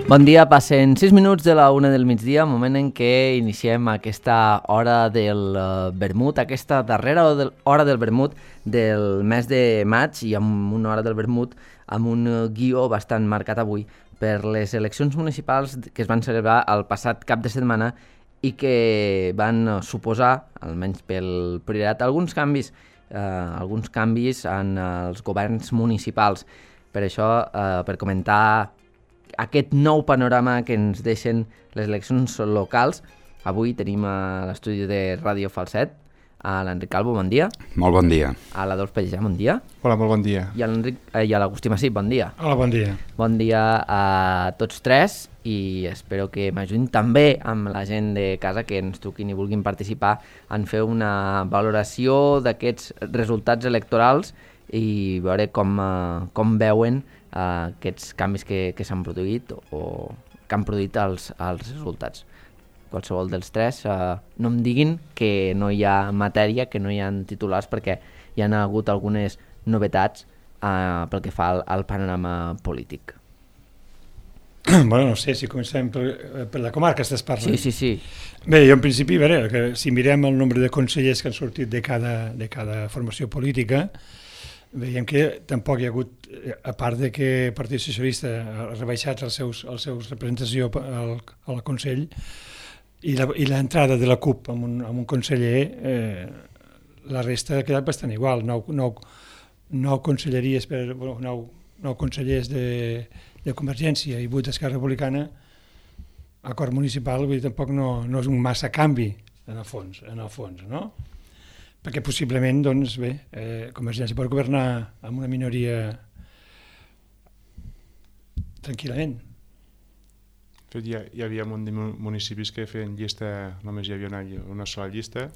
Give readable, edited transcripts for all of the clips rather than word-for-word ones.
Bon dia, passen 6 minuts de la 1 del migdia, moment en què iniciem aquesta hora del vermut, aquesta darrera hora del vermut del mes de maig, i amb una hora del vermut amb un guió bastant marcat avui per les eleccions municipals que es van celebrar el passat cap de setmana i que van suposar, almenys pel Priorat, alguns canvis en els governs municipals. Per això, per comentar aquest nou panorama que ens deixen les eleccions locals, avui tenim a l'estudi de Ràdio Falset a l'Enric Calvo, bon dia. Molt bon dia. A l'Adolf Pellicer, bon dia. Hola, molt bon dia. I a l'Agustí Massip, bon dia. Hola, bon dia. Bon dia a tots tres i espero que m'ajudin també amb la gent de casa que ens truquin i vulguin participar en fer una valoració d'aquests resultats electorals i veure com veuen aquests canvis que s'han produït o que han produït els resultats. Qualsevol dels tres, no em diguin que no hi ha matèria, que no hi ha titulars, perquè hi ha hagut algunes novetats pel que fa al panorama polític. Bueno, no sé, si comencem per la comarca estàs parlant. Sí. Bé, jo en principi, a veure, que si mirem el nombre de consellers que han sortit de cada formació política, veiem que tampoc hi ha hagut, a part de que el Partit Socialista ha rebaixat els seus representació al Consell i l'entrada de la CUP amb un conseller, la resta ha quedat bastant igual. 9 conselleries nou consellers de Convergència i 8 d'Esquerra Republicana, acord municipal, vull dir, tampoc no és un massa canvi en el fons, no? Perquè possiblement, doncs bé, Convergència pot governar amb una minoria tranquil·lament. Hi havia un munt de municipis que feien llista, només hi havia una sola llista.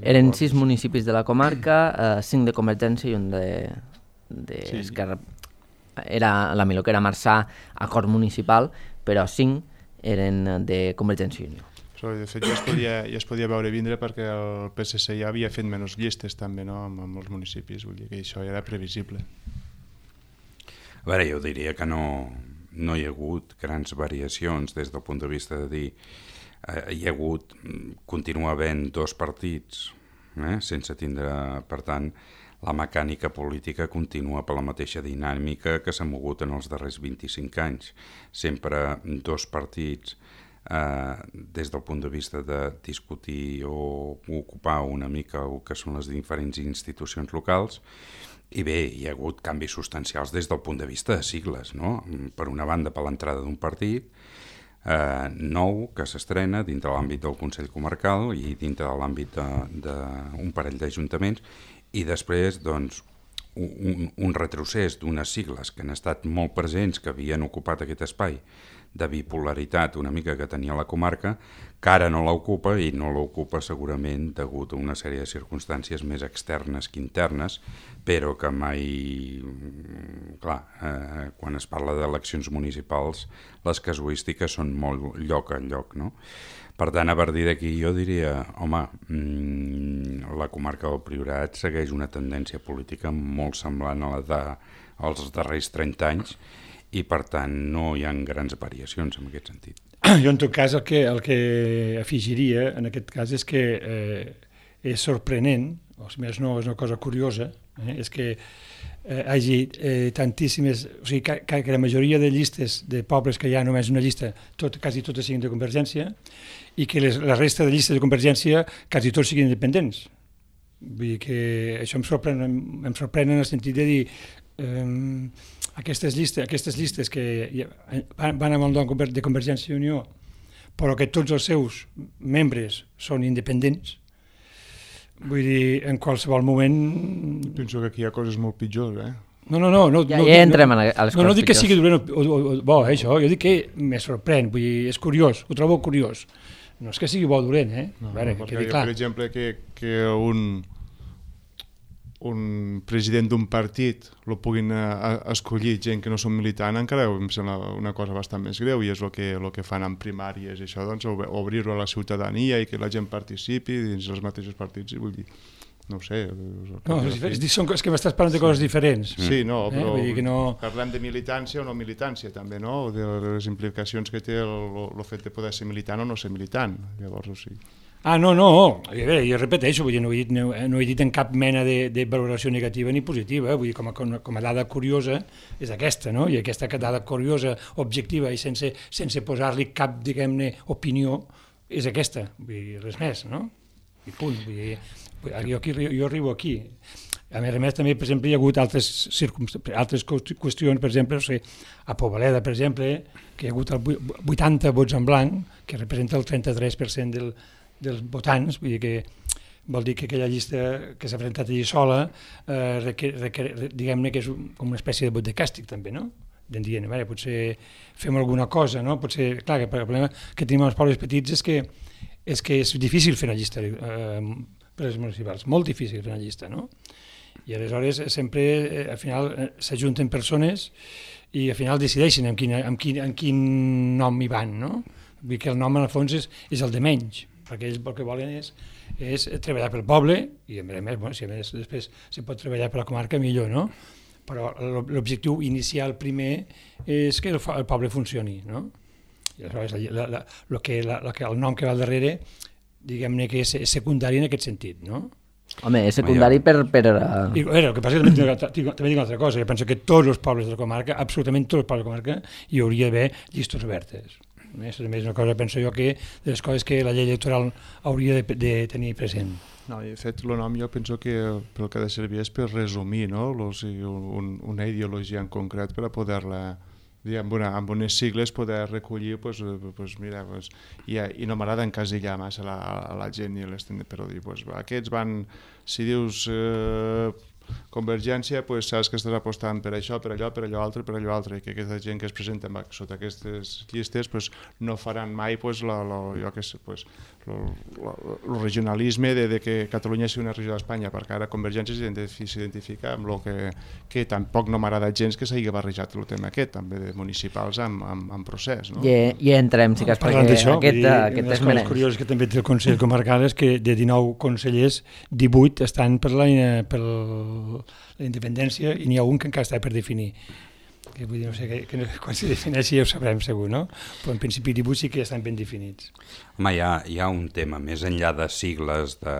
Eren 6 municipis de la comarca, 5 de Convergència i un d'Esquerra. Era la millor que era Marçà, acord municipal, però 5 eren de Convergència i Unió. De fet, ja es podia veure vindre perquè el PSC ja havia fet menys llistes també, no? amb els municipis, vull dir que això ja era previsible. A veure, jo diria que no hi ha hagut grans variacions des del punt de vista de dir hi ha hagut, continua havent 2 partits, sense tindre, per tant, la mecànica política continua per la mateixa dinàmica que s'ha mogut en els darrers 25 anys. Sempre 2 partits des del punt de vista de discutir o ocupar una mica el que són les diferents institucions locals. I bé, hi ha hagut canvis substancials des del punt de vista de sigles, no? Per una banda, per l'entrada d'un partit nou que s'estrena dintre l'àmbit del Consell Comarcal i dintre de l'àmbit d'un parell d'ajuntaments, i després, doncs, un retrocés d'unes sigles que han estat molt presents, que havien ocupat aquest espai de bipolaritat una mica que tenia la comarca, que ara no l'ocupa, i no l'ocupa segurament degut a una sèrie de circumstàncies més externes que internes, però que mai... Clar, quan es parla d'eleccions municipals, les casuístiques són molt lloc a lloc, no? Per tant, a partir d'aquí jo diria, home, la comarca del Priorat segueix una tendència política molt semblant a la dels darrers 30 anys, i per tant no hi ha grans variacions en aquest sentit. Jo en tot cas el que afegiria en aquest cas és que és sorprenent, o si més no és una cosa curiosa, és que hi hagi tantíssimes, o sigui que la majoria de llistes de pobles que hi ha només una llista, quasi totes siguin de Convergència, i que la resta de llistes de Convergència quasi tots siguin independents. Vull dir que això em sorprèn en el sentit de dir aquestes llistes que van amb el nom de Convergència i Unió, però que tots els seus membres són independents, vull dir, en qualsevol moment... Penso que aquí hi ha coses molt pitjors, No, ja entrem a les coses pitjors. No dic que sigui dolent o bo, això, jo dic que me sorprèn, vull dir, és curiós, ho trobo curiós. No és que sigui bo o dolent, perquè per exemple, que un president d'un partit el puguin escollir gent que no són militant, encara em sembla una cosa bastant més greu, i és el que fan en primàries, això, doncs, obrir-ho a la ciutadania i que la gent participi dins dels mateixos partits, vull dir, no ho sé. No, és que m'estàs parlant de coses diferents. Sí, no, però Vull dir que no... parlem de militància o no militància també, no? De les implicacions que té el fet de poder ser militant o no ser militant. Llavors, o sigui... No. A veure, jo repeteixo, vull dir, no he dit en cap mena de valoració negativa ni positiva, vull dir, com a dada curiosa és aquesta, no? I aquesta dada curiosa, objectiva i sense posar-li cap, diguem-ne, opinió, és aquesta, vull dir, res més, no? I punt, vull dir, jo arribo aquí. A més, també, per exemple, hi ha hagut altres qüestions, per exemple, no sé, a Poboleda, per exemple, que hi ha hagut 80 vots en blanc, que representa el 33% dels votants, vull dir que vol dir que aquella llista que s'ha presentat allí sola, diguem-ne que és com una espècie de vot de càstig també, no? Dient, potser fem alguna cosa, no? Potser, clar, que el problema que tenim als pobles petits és que és difícil fer una llista per les municipals, molt difícil fer una llista, no? I aleshores sempre, al final, s'ajunten persones i al final decideixen amb quin nom hi van, no? Vull dir que el nom, en el fons, és el de menys, perquè ells el que volen és treballar pel poble, i a més, si a més després se pot treballar per la comarca, millor, no? Però l'objectiu inicial primer és que el poble funcioni, no? I aleshores el nom que va al darrere, diguem-ne que és secundari en aquest sentit, no? Home, és secundari per... I, el que passa és que també dic una altra cosa, jo penso que tots els pobles de la comarca, absolutament tots els pobles de la comarca, hi hauria d'haver llistes obertes. També és una cosa, penso jo, que de les coses que la llei electoral hauria de tenir present. No, i de fet, el nom jo penso que pel que ha de servir és per resumir, no? Una ideologia en concret per a poder-la, amb unes sigles, poder recollir, i no m'agrada encasillar massa a la gent i però dir, aquests van, si dius Convergència, saps que estàs apostant per això, per allò altre, i que aquesta gent que es presenta sota aquestes llistes no faran mai el regionalisme de que Catalunya sigui una regió d'Espanya, perquè ara Convergència s'identifica amb el que tampoc no m'agrada gens que s'hagi barrejat el tema aquest, també de municipals amb procés. I entrem, si cas, perquè aquest és menys. El curiós que també té el Consell Comarcal és que de 19 consellers, 18 estan per la independència i n'hi ha un que encara està per definir. Que vull dir, no sé, quan se defineixi ja ho sabrem segur, no? Però en principi 18 sí que ja estan ben definits. Home, hi ha un tema, més enllà de sigles de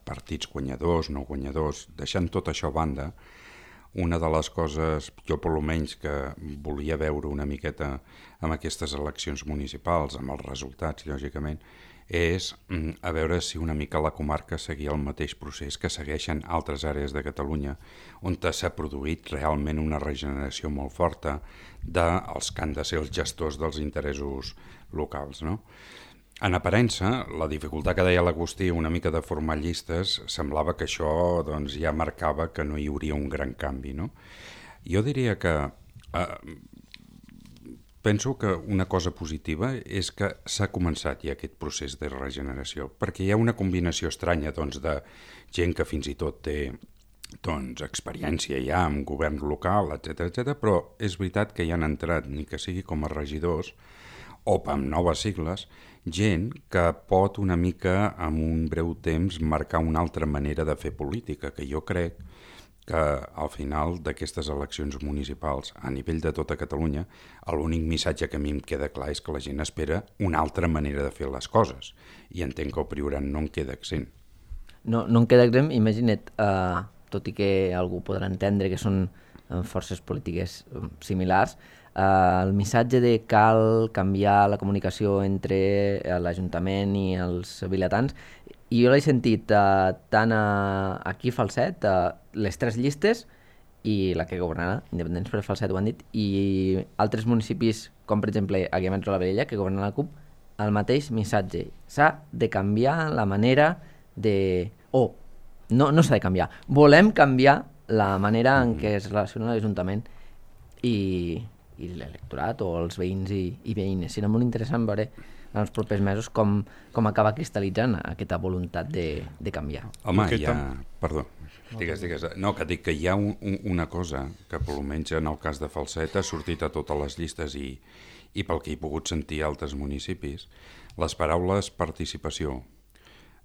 partits guanyadors, no guanyadors, deixant tot això a banda, una de les coses, jo per almenys que volia veure una miqueta amb aquestes eleccions municipals, amb els resultats, lògicament, és a veure si una mica la comarca seguia el mateix procés que segueixen altres àrees de Catalunya, on s'ha produït realment una regeneració molt forta dels que han de ser els gestors dels interessos locals, no? En aparença, la dificultat que deia l'Agustí, una mica de formar llistes, semblava que això ja marcava que no hi hauria un gran canvi, no? Jo diria que penso que una cosa positiva és que s'ha començat ja aquest procés de regeneració, perquè hi ha una combinació estranya de gent que fins i tot té experiència ja en govern local, etc, però és veritat que hi han entrat, ni que sigui com a regidors, o amb noves sigles, gent que pot una mica, en un breu temps, marcar una altra manera de fer política, que jo crec que al final d'aquestes eleccions municipals a nivell de tota Catalunya l'únic missatge que a mi em queda clar és que la gent espera una altra manera de fer les coses i entenc que el Priorat no en queda exempt. No en queda exempt, imagina't, tot i que algú podrà entendre que són forces polítiques similars, el missatge de cal canviar la comunicació entre l'Ajuntament i els vilatans, i jo l'he sentit tant aquí a Falset, les 3 llistes i la que governarà, Independents per Falset ho han dit, i altres municipis com per exemple aquí a Metro la Velella, que governa la CUP, el mateix missatge. S'ha de canviar la manera de... no s'ha de canviar. Volem canviar la manera en què es relaciona l'Ajuntament i l'electorat o els veïns i veïnes. Serà molt interessant veure en els propers mesos com acaba cristal·litzant aquesta voluntat de canviar. Home, Perdó, digues. No, que dic que hi ha una cosa que, per almenys en el cas de Falset, ha sortit a totes les llistes i pel que he pogut sentir a altres municipis, les paraules participació,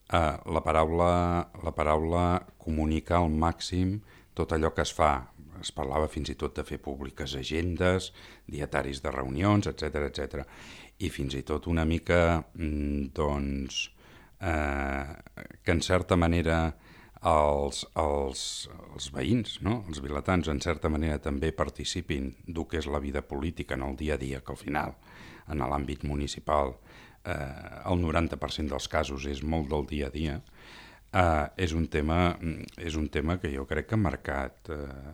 La paraula comunicar al màxim tot allò que es fa. Es parlava fins i tot de fer públiques agendes, dietaris de reunions, etc. I fins i tot una mica, doncs, que en certa manera els veïns, no? Els vilatans, en certa manera també participin del que és la vida política en el dia a dia, que al final, en l'àmbit municipal, el 90% dels casos és molt del dia a dia. És un tema que jo crec que ha marcat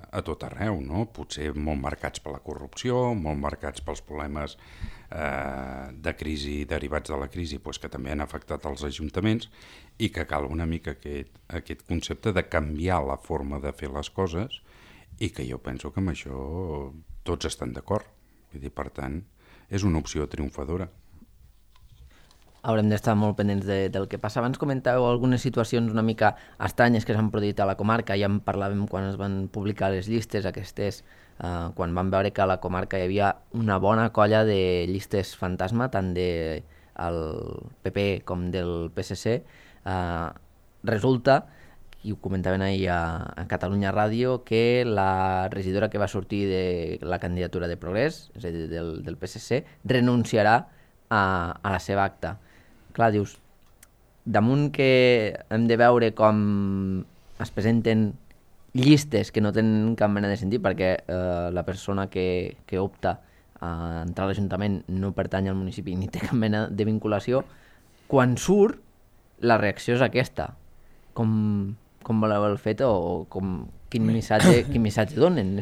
a tot arreu, no? Potser molt marcats per la corrupció, molt marcats pels problemes de crisi derivats de la crisi, doncs que també han afectat els ajuntaments, i que cal una mica aquest concepte de canviar la forma de fer les coses, i que jo penso que amb això tots estan d'acord. Vull dir, per tant, és una opció triomfadora. Haurem d'estar molt pendents del que passa. Abans comentàveu algunes situacions una mica estranyes que s'han produït a la comarca. Ja en parlàvem quan es van publicar les llistes aquestes, quan vam veure que a la comarca hi havia una bona colla de llistes fantasma, tant del PP com del PSC. Resulta, i ho comentaven ahir a Catalunya Ràdio, que la regidora que va sortir de la candidatura de Progrés, és a dir, del PSC, renunciarà a la seva acta. Clar, dius, damunt que hem de veure com es presenten llistes que no tenen cap mena de sentit, perquè la persona que opta a entrar a l'Ajuntament no pertany al municipi ni té cap mena de vinculació, quan surt, la reacció és aquesta. Com voleu el fet o quin missatge donen?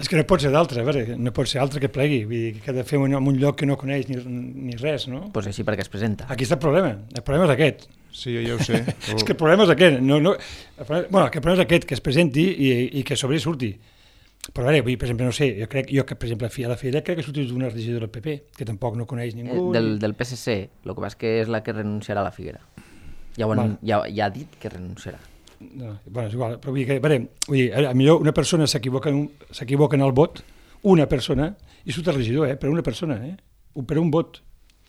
És que no pot ser d'altre, a veure, no pot ser altre que plegui, vull dir, que ha de fer en un lloc que no coneix ni res, no? Doncs així perquè es presenta. Aquí està el problema és aquest. Sí, jo ja ho sé. És que el problema és aquest, que el problema és aquest, que es presenti i que sobre surti. Però a veure, per exemple, no sé, jo que, per exemple, a la Fira crec que ha sortit una regidora del PP, que tampoc no coneix ningú. Del PSC, el que passa que és la que renunciarà a la Figuera. Ja ha dit que renunciarà. No, bueno, és igual, però vull dir, millor una persona s'equivoca en el vot, una persona, i surt el regidor, per una persona, per un vot.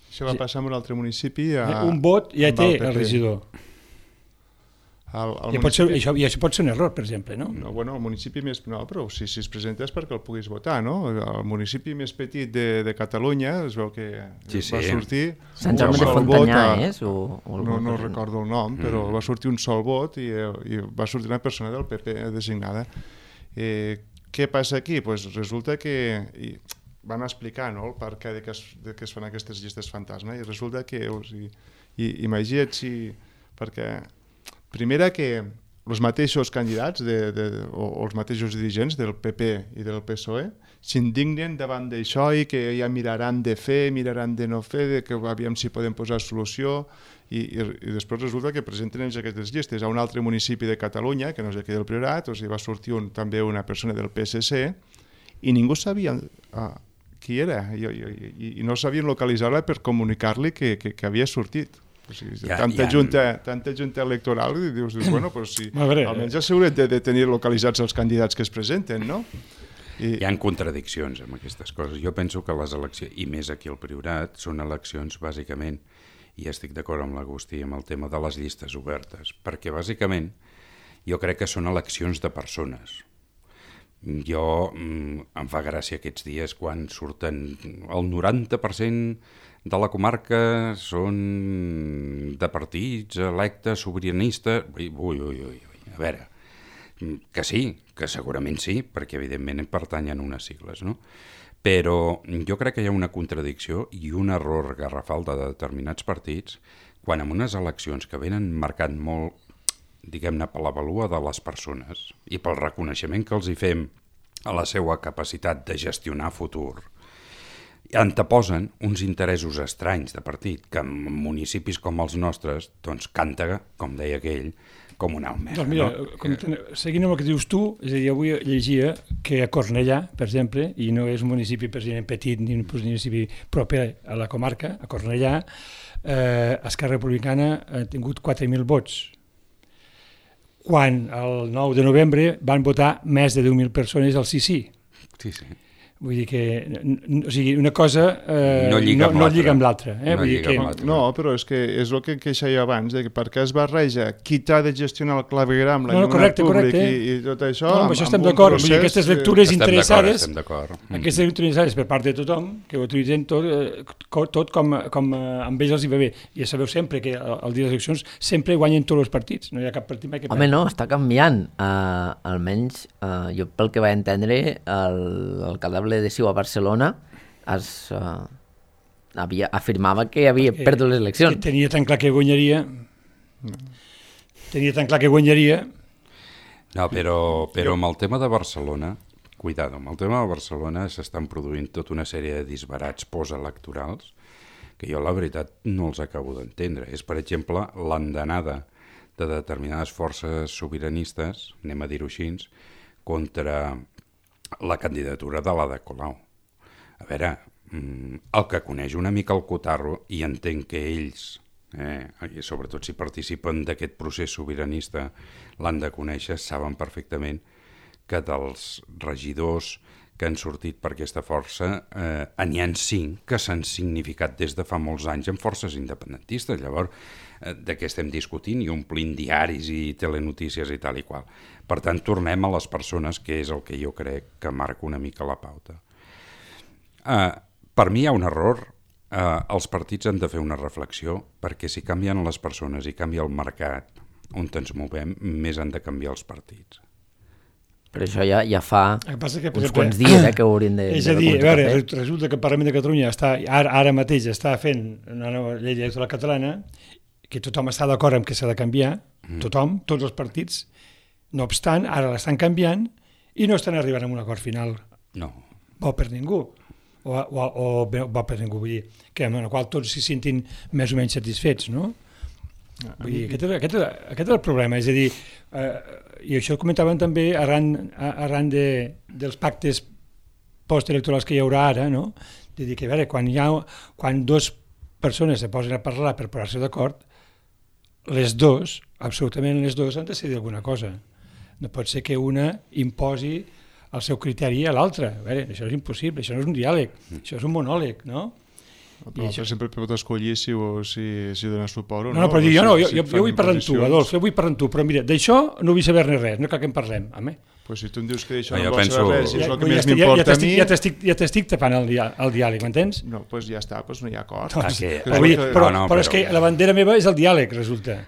Això va passar en un altre municipi. Un vot ja té el regidor. I això pot ser un error, per exemple, no? No, bueno, el municipi més... No, però si es presenta és perquè el puguis votar, no? El municipi més petit de Catalunya es veu que va sortir... Sant Jaume de Frontanyà, és? No recordo el nom, però va sortir un sol vot i va sortir una persona del PP designada. Què passa aquí? Pues resulta que... van explicar, no?, el per què de que es fan aquestes llistes fantasma, i resulta que... Imagina't si... Perquè... Primera, que els mateixos candidats o els mateixos dirigents del PP i del PSOE s'indignen davant d'això i que ja miraran de fer, miraran de no fer, que aviam si podem posar solució, i després resulta que presenten ells aquestes llistes. A un altre municipi de Catalunya, que no és aquí del Priorat, va sortir també una persona del PSC i ningú sabia qui era i no sabien localitzar-la per comunicar-li que havia sortit. O sigui, tanta junta electoral i dius, bueno, pues sí, almenys asseguret de tenir localitzats els candidats que es presenten, no? Hi ha contradiccions amb aquestes coses. Jo penso que les eleccions, i més aquí al Priorat, són eleccions bàsicament, i estic d'acord amb l'Agustí amb el tema de les llistes obertes, perquè bàsicament jo crec que són eleccions de persones. Em fa gràcia aquests dies quan surten el 90% de la comarca són de partits electes, sobiranistes... A veure, que sí, que segurament sí, perquè evidentment pertanyen a unes sigles, no? Però jo crec que hi ha una contradicció i un error garrafal de determinats partits quan en unes eleccions que venen marcat molt, diguem-ne, per la vàlua de les persones i pel reconeixement que els hi fem a la seva capacitat de gestionar futur, anteposen uns interessos estranys de partit que en municipis com els nostres doncs canta, com deia aquell, com un almer. Doncs mira, no? Seguint amb el que dius tu, és a dir, avui llegia que a Cornellà, per exemple, i no és un municipi precisament petit ni un municipi proper a la comarca, a Cornellà, Esquerra Republicana ha tingut 4.000 vots, quan el 9 de novembre van votar més de 10.000 persones al sí. Sí. Vull dir que o sigui, una cosa no lliga amb l'altra. No, però és que és el que queixava abans, de que perquè es barreja qui t'ha de gestionar el clavegram, l'alumnat públic i tot això... No, això estem d'acord. Aquestes lectures interessades, aquestes interessades per part de tothom, que ho utilitzen tot com amb ells els hi va bé. I ja sabeu sempre que el dia de les eleccions sempre guanyen tots els partits. No hi ha cap partit mai que Home, no, està canviant. Almenys, jo pel que vaig entendre, l'alcalde de Ciu a Barcelona afirmava que havia perdut les eleccions. Tenia tan clar que guanyaria. No, però amb el tema de Barcelona, cuidado, amb el tema de Barcelona s'estan produint tota una sèrie de disbarats postelectorals que jo la veritat no els acabo d'entendre. És, per exemple, l'andanada de determinades forces sobiranistes, anem a dir-ho així, contra la candidatura de l'Ada Colau. A veure, el que coneix una mica el cotarro, i entenc que ells, i sobretot si participen d'aquest procés sobiranista, l'han de conèixer, saben perfectament que dels regidors que han sortit per aquesta força n'hi ha 5 que s'han significat des de fa molts anys en forces independentistes. Llavors, de què estem discutint i omplint diaris i telenotícies i tal i qual. Per tant, tornem a les persones, que és el que jo crec que marca una mica la pauta. Per mi hi ha un error. Els partits han de fer una reflexió, perquè si canvien les persones i canvia el mercat on ens movem, més han de canviar els partits. Però això ja fa uns quants dies que ho haurien de... És a dir, a veure, resulta que el Parlament de Catalunya ara mateix està fent una nova llei electoral catalana, que tothom està d'acord amb que s'ha de canviar, tothom, tots els partits. No obstant, ara l'estan canviant i no estan arribant a un acord final. No. Bo per ningú. O bo per ningú, vull dir, que amb el qual tots s'hi sentin més o menys satisfets, no? Vull dir, aquest és el problema, és a dir, i això ho comentàvem també arran dels pactes postelectorals que hi haurà ara, no? De dir que, a veure, quan dues persones se posen a parlar per posar-se d'acord, les dues, absolutament les dues, han de decidir alguna cosa. No pot ser que una imposi el seu criteri a l'altra. A veure, això és impossible, això no és un diàleg, això és un monòleg, no? Però sempre pot escollir si dona suport o no. No, però jo vull parlar amb tu, Adolf, jo vull parlar amb tu, però mira, d'això no vull saber-ne res, no cal que en parlem, home. Pues si tu em dius que d'això no vols saber res, és el que més m'importa a mi... Ja t'estic tapant el diàleg, m'entens? No, doncs ja està, no hi ha acord. Però és que la bandera meva és el diàleg, resulta.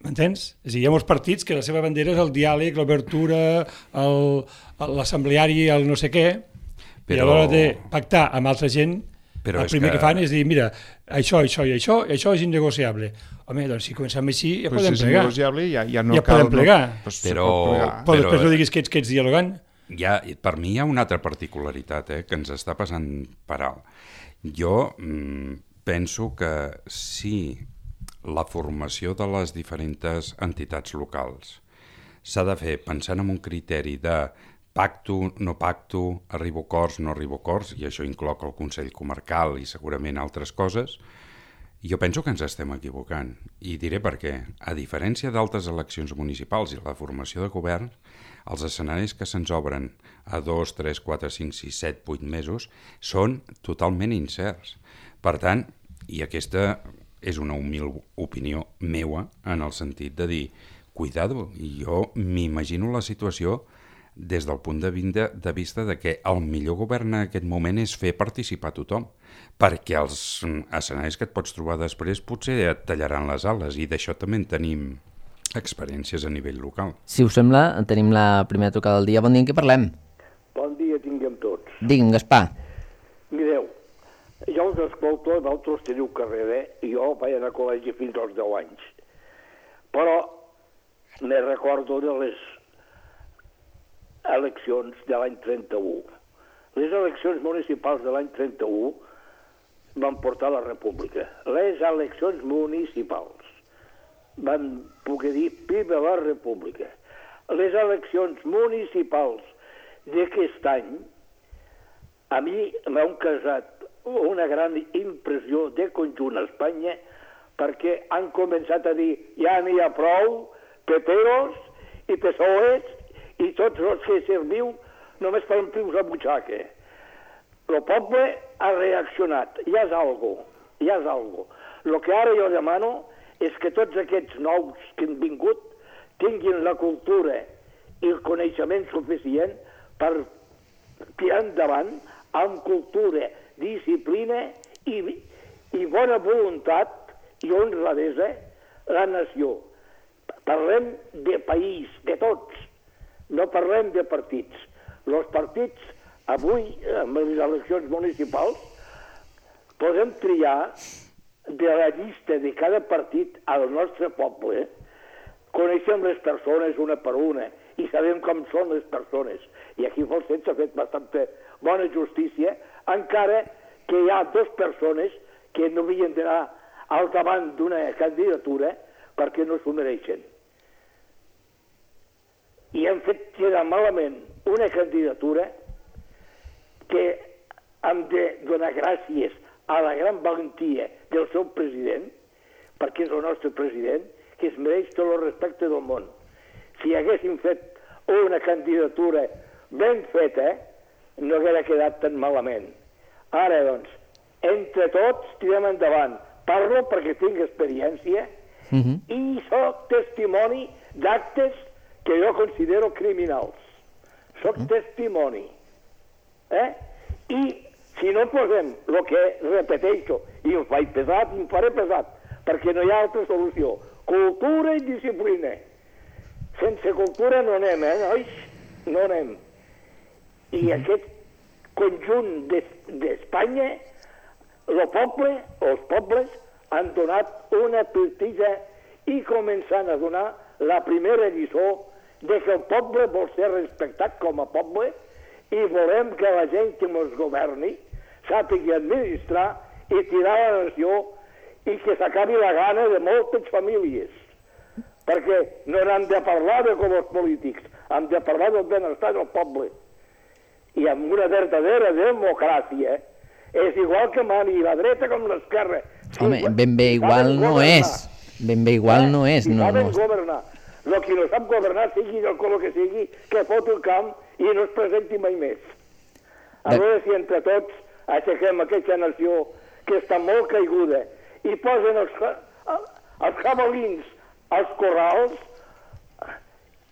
M'entens? És a dir, hi ha molts partits que la seva bandera és el diàleg, l'obertura, l'assembleari, el no sé què, i a l'hora de pactar amb altra gent, el primer que fan és dir, mira, això i això és innegociable. Home, doncs si comencem així ja podem plegar. Si és innegociable ja no cal... Ja podem plegar. Però després no diguis que ets dialogant. Per mi hi ha una altra particularitat que ens està passant per alt. Jo penso que si la formació de les diferents entitats locals s'ha de fer pensant en un criteri de pacto, no pacto, arribo a acords, no arribo a acords, i això inclou el Consell Comarcal i segurament altres coses, jo penso que ens estem equivocant. I diré per què. A diferència d'altres eleccions municipals i la formació de govern, els escenaris que se'ns obren a 2, 3, 4, 5, 6, 7, 8 mesos són totalment incerts. Per tant, i aquesta és una humil opinió meua en el sentit de dir, cuidado, jo m'imagino la situació des del punt de vista de que el millor govern en aquest moment és fer participar tothom, perquè els escenaris que et pots trobar després potser et tallaran les ales, i d'això també en tenim experiències a nivell local. Si us sembla, tenim la primera trucada del dia. Bon dia, en què parlem? Bon dia tinguem tots. Digue'm, Gaspar. Mireu, jo us escolto, vosaltres teniu carrera, i jo vaig anar a col·legi fins als 10 anys. Però me recordo de les eleccions de l'any 31. Les eleccions municipals de l'any 31 van portar la república. Les eleccions municipals van poder dir viva la república. Les eleccions municipals d'aquest any a mi m'han causat una gran impressió de conjunt a Espanya, perquè han començat a dir ja n'hi ha prou, peperos i PSOEs, i tots els que serviu només per omplir-vos la butxaca. El poble ha reaccionat, ja és algo. El que ara jo demano és que tots aquests nous que han vingut tinguin la cultura i el coneixement suficient per tirar endavant amb cultura, disciplina i bona voluntat i honradesa la nació. Parlem de país, de tots, no parlem de partits. Els partits, avui, amb les eleccions municipals, podem triar de la llista de cada partit al nostre poble. Coneixem les persones una per una i sabem com són les persones. I aquí Falset s'ha fet bastanta bona justícia, encara que hi ha 2 persones que no havien d'anar al davant d'una candidatura perquè no s'ho mereixen. I hem fet quedar malament una candidatura que hem de donar gràcies a la gran valentia del seu president, perquè és el nostre president, que es mereix tot el respecte del món. Si haguéssim fet una candidatura ben feta, no haguera quedat tan malament. Ara, doncs, entre tots tirem endavant. Parlo perquè tinc experiència i soc testimoni d'actes que jo considero criminals. Soc testimoni. I si no posem el que repeteixo, i em faig pesat, em faré pesat, perquè no hi ha altra solució. Cultura i disciplina. Sense cultura no anem, nois? No anem. I aquest conjunt d'Espanya, el poble, els pobles, han donat una partida i començant a donar la primera lliçó de que el poble vol ser respectat com a poble i volem que la gent que ens governi sàpiga administrar i tirar la nació i que s'acabi la gana de moltes famílies. Perquè no hem de parlar de com els polítics, hem de parlar del benestar del poble. I amb una verdadera democràcia és igual que mani la dreta com l'esquerra. Home, ben bé igual no és. Ben bé igual no és. Si saben governar. El que no sap governar, sigui del color que sigui, que fot el camp i no es presenti mai més. A veure si entre tots aixequem aquesta nació que està molt caiguda i posen els jabalins als corrals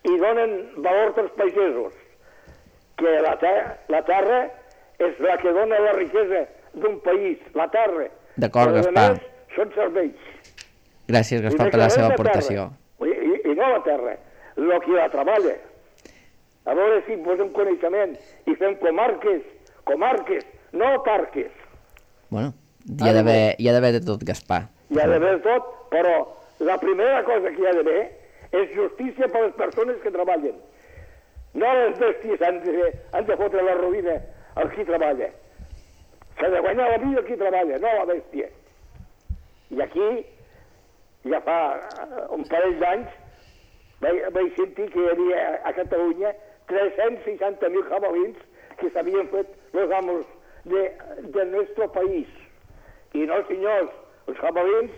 i donen valor als pagesos. Que la terra és la que dona la riquesa d'un país, la terra. D'acord, Gaspar. Són serveis. Gràcies, Gaspar, per la seva aportació. I no la terra, el que la treballa. A veure si posem coneixement i fem comarques, no parques. Bueno, hi ha d'haver de tot, Gaspar. Hi ha d'haver de tot, però la primera cosa que hi ha d'haver és justícia per les persones que treballen. No les bèsties han de fotre la ruïna al qui treballa. S'ha de guanyar la vida al qui treballa, no la bèstia. I aquí, ja fa un parell d'anys, vaig sentir que hi havia a Catalunya 360.000 jabalins que s'havien fet els amos del nostre país. I no, senyors, els jabalins,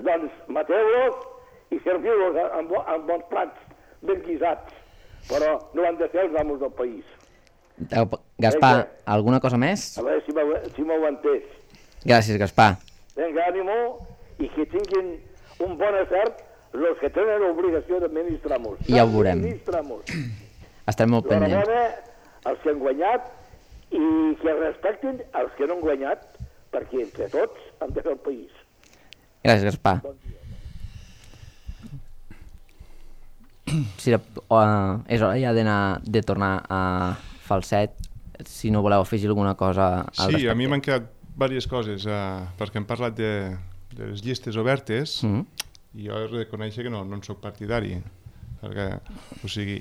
doncs mateu-los i serviu-los amb bons plats ben guisats. Però no han de ser els amos del país. Gaspar, alguna cosa més? A veure si m'ho entès. Gràcies, Gaspar. Vinga, ànimo, i que tinguin un bon acert els que tenen l'obligació d'administrar-nos. Ja ho veurem. Estarem molt pendents. L'enhorabona als que han guanyat i que respectin els que no han guanyat, perquè entre tots hem de fer el país. Gràcies, Gaspar. Bon dia. És hora ja de tornar a Falset, si no voleu afegir alguna cosa al respecte. Sí, a mi m'han quedat diverses coses, perquè hem parlat de les llistes obertes, i jo he de reconèixer que no en soc partidari, perquè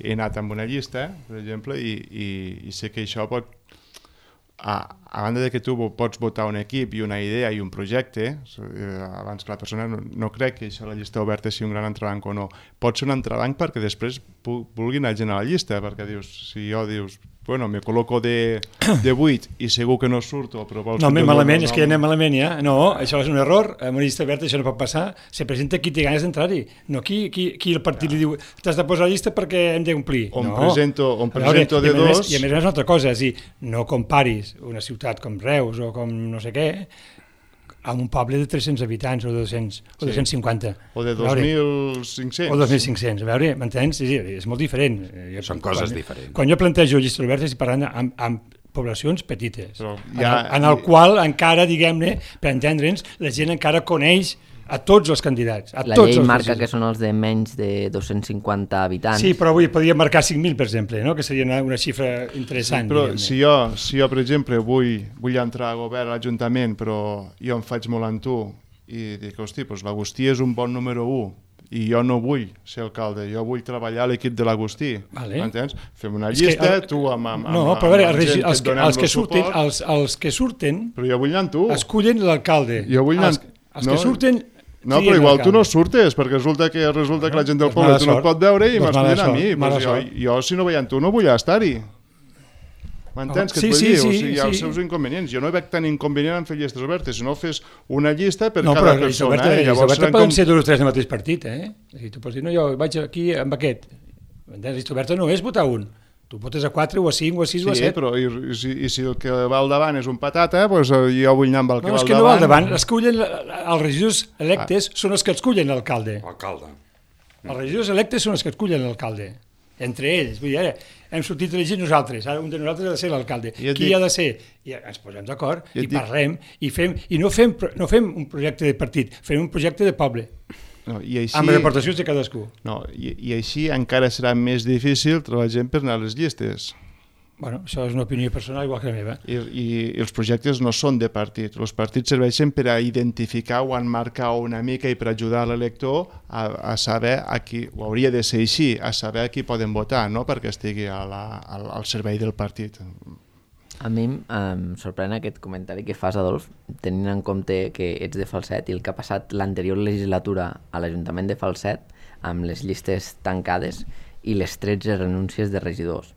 he anat amb una llista, per exemple, i sé que això pot, a banda de que tu pots votar un equip i una idea i un projecte, abans que la persona no crec que això la llista oberta sigui un gran entrebanc o no, pot ser un entrebanc perquè després vulgui anar gent a la llista, perquè dius, si jo dius bueno, me col·loco de 8 i segur que no surto, però vols... No, malament, és que ja anem malament, ja. No, això és un error, en una llista oberta això no pot passar, se presenta qui té ganes d'entrar-hi, no qui el partit li diu t'has de posar a la llista perquè hem d'omplir. On presento de dos... I a més una altra cosa, és dir, no comparis una ciutat com Reus o com no sé què, amb un poble de 300 habitants o 200 o 250. O de 2.500. O 2.500, a veure, m'entens? Sí, és molt diferent. Són coses diferents. Quan jo plantejo llistes obertes estic parlant amb poblacions petites, ja, en el qual encara, diguem-ne, per entendre'ns, la gent encara coneix a tots els candidats. La llei marca que són els de menys de 250 habitants. Sí, però avui podria marcar 5.000, per exemple, no? Que seria una xifra interessant. Sí, però si jo, per exemple, vull entrar a govern a l'Ajuntament, però jo em faig molt amb tu i dic, hosti, doncs l'Agustí és un bon número 1 i jo no vull ser alcalde, jo vull treballar a l'equip de l'Agustí. M'entens? Fem una llista, tu amb no, però a veure, els que surten... Però jo vull anar amb tu. Escullen l'alcalde. Jo vull anar... Els que surten... No, però igual tu no surtes, perquè resulta que la gent del poble tu no et pot veure i m'escullen a mi. Jo, si no veiem tu, no vull estar-hi. M'entens què et vull dir? O sigui, hi ha els seus inconvenients. Jo no veig tan inconvenient en fer llistes obertes. Si no fes una llista per cada persona. No, però llistes obertes poden ser dos o tres del mateix partit, eh? Tu pots dir, no, jo vaig aquí amb aquest. M'entens? Llista oberta no és votar un. Tu votes a 4 o a 5 o a 6 o a 7. Sí, però i si el que va al davant és un patata, doncs jo vull anar amb el que va al davant. No, és que no va al davant. Escullen, els regidors electes són els que escullen l'alcalde. Els regidors electes són els que escullen l'alcalde. Entre ells. Vull dir, ara, hem sortit elegits nosaltres. Ara un de nosaltres ha de ser l'alcalde. Qui ha de ser? I ens posem d'acord i parlem i no fem un projecte de partit, fem un projecte de poble. No, i així, amb reportacions de cadascú. No, i així encara serà més difícil trobar gent per anar a les llistes. Bueno, això és una opinió personal igual que la meva. I els projectes no són de partit. Els partits serveixen per a identificar o enmarcar una mica i per ajudar l'elector a saber a qui, ho hauria de ser així, a saber a qui poden votar, no perquè estigui al servei del partit. A mi em sorprèn aquest comentari que fas, Adolf, tenint en compte que ets de Falset i el que ha passat l'anterior legislatura a l'Ajuntament de Falset amb les llistes tancades i les 13 renúncies de regidors.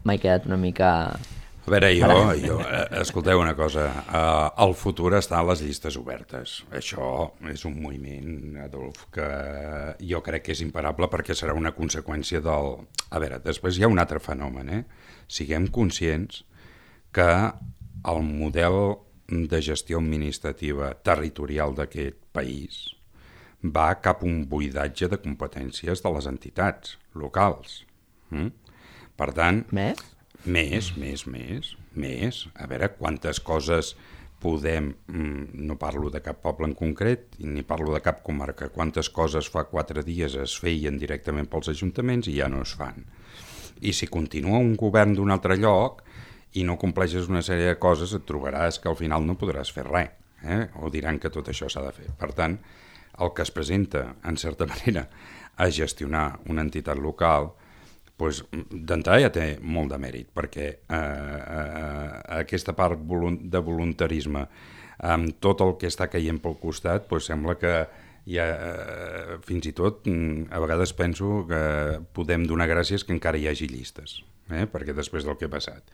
M'he quedat una mica... A veure, escolteu una cosa, el futur està a les llistes obertes. Això és un moviment, Adolf, que jo crec que és imparable perquè serà una conseqüència del... A veure, després hi ha un altre fenomen, Siguem conscients que el model de gestió administrativa territorial d'aquest país va cap a un buidatge de competències de les entitats locals. Per tant... Més? Més. A veure, quantes coses podem... No parlo de cap poble en concret, ni parlo de cap comarca. Quantes coses fa 4 dies es feien directament pels ajuntaments i ja no es fan. I si continua un govern d'un altre lloc i no compleixes una sèrie de coses, et trobaràs que al final no podràs fer res, o diran que tot això s'ha de fer. Per tant, el que es presenta, en certa manera, a gestionar una entitat local, doncs, d'entrada ja té molt de mèrit, perquè aquesta part de voluntarisme, amb tot el que està caient pel costat, doncs sembla que fins i tot a vegades penso que podem donar gràcies que encara hi hagi llistes, perquè després del que ha passat.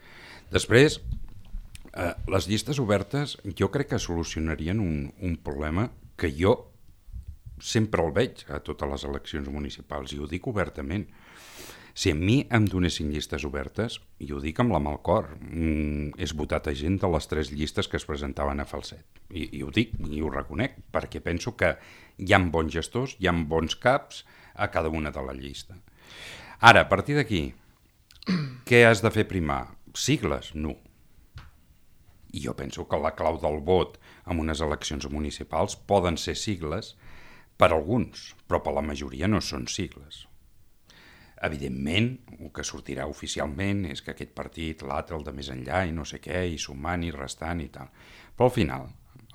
Després, les llistes obertes jo crec que solucionarien un problema que jo sempre el veig a totes les eleccions municipals, i ho dic obertament. Si a mi em donessin llistes obertes, i ho dic amb la mà al cor, és votat a gent de les 3 llistes que es presentaven a Falset. I ho dic, i ho reconec, perquè penso que hi ha bons gestors, hi ha bons caps a cada una de la llista. Ara, a partir d'aquí, què has de fer primar? Sigles? No. I jo penso que la clau del vot en unes eleccions municipals poden ser sigles per alguns, però per la majoria no són sigles. Evidentment, el que sortirà oficialment és que aquest partit, l'altre, el de més enllà, i no sé què, i sumant i restant i tal. Però al final,